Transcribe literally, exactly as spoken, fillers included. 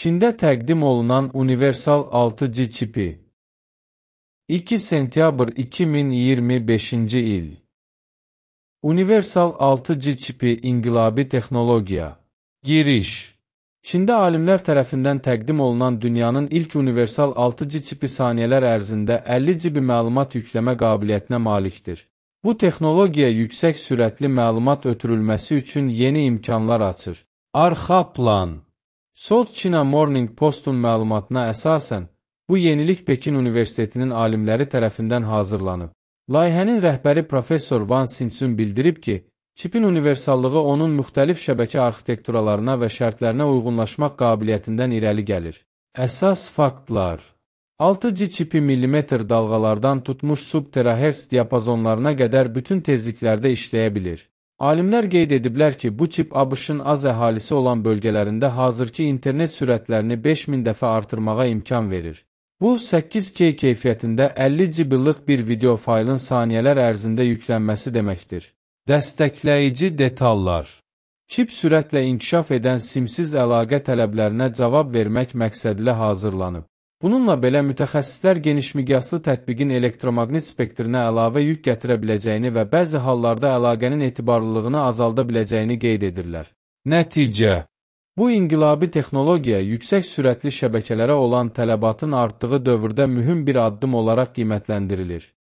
Çində təqdim olunan universal altı G çipi. iki sentyabr iki min iyirmi beşinci il. Universal altı G çipi inqilabi texnologiya. Giriş. Çində alimlər tərəfindən təqdim olunan dünyanın ilk universal altı G çipi saniyələr ərzində əlli giqabit məlumat yükləmə qabiliyyətinə malikdir. Bu texnologiya yüksək sürətli məlumat ötürülməsi üçün yeni imkanlar açır. Arxa plan. South China Morning Post'un məlumatına əsasən, bu yenilik Pekin Universitetinin alimləri tərəfindən hazırlanıb. Layihənin rəhbəri Professor Wang Xinsun bildirib ki, çipin universallığı onun müxtəlif şəbəkə arxitekturalarına və şərtlərinə uyğunlaşmaq qabiliyyətindən irəli gəlir. Əsas faktlar. altı G çipi millimetr dalğalardan tutmuş sub-terahertz diapazonlarına qədər bütün tezliklərdə işləyə bilir. Alimlər qeyd ediblər ki, bu çip ABŞ-ın az əhalisi olan bölgələrində hazırki internet sürətlərini beş min dəfə artırmağa imkan verir. Bu, səkkiz K keyfiyyətində əlli gigabaytlıq bir video faylın saniyələr ərzində yüklənməsi deməkdir. Dəstəkləyici detallar. Çip sürətlə inkişaf edən simsiz əlaqə tələblərinə cavab vermək məqsədilə hazırlanıb. Bununla belə mütəxəssislər genişmiqyaslı tətbiqin elektromaqnit spektrinə əlavə yük gətirə biləcəyini və bəzi hallarda əlaqənin etibarlılığını azalda biləcəyini qeyd edirlər. Nəticə. Bu inqilabi texnologiya yüksək sürətli şəbəkələrə olan tələbatın artdığı dövrdə mühüm bir addım olaraq qiymətləndirilir.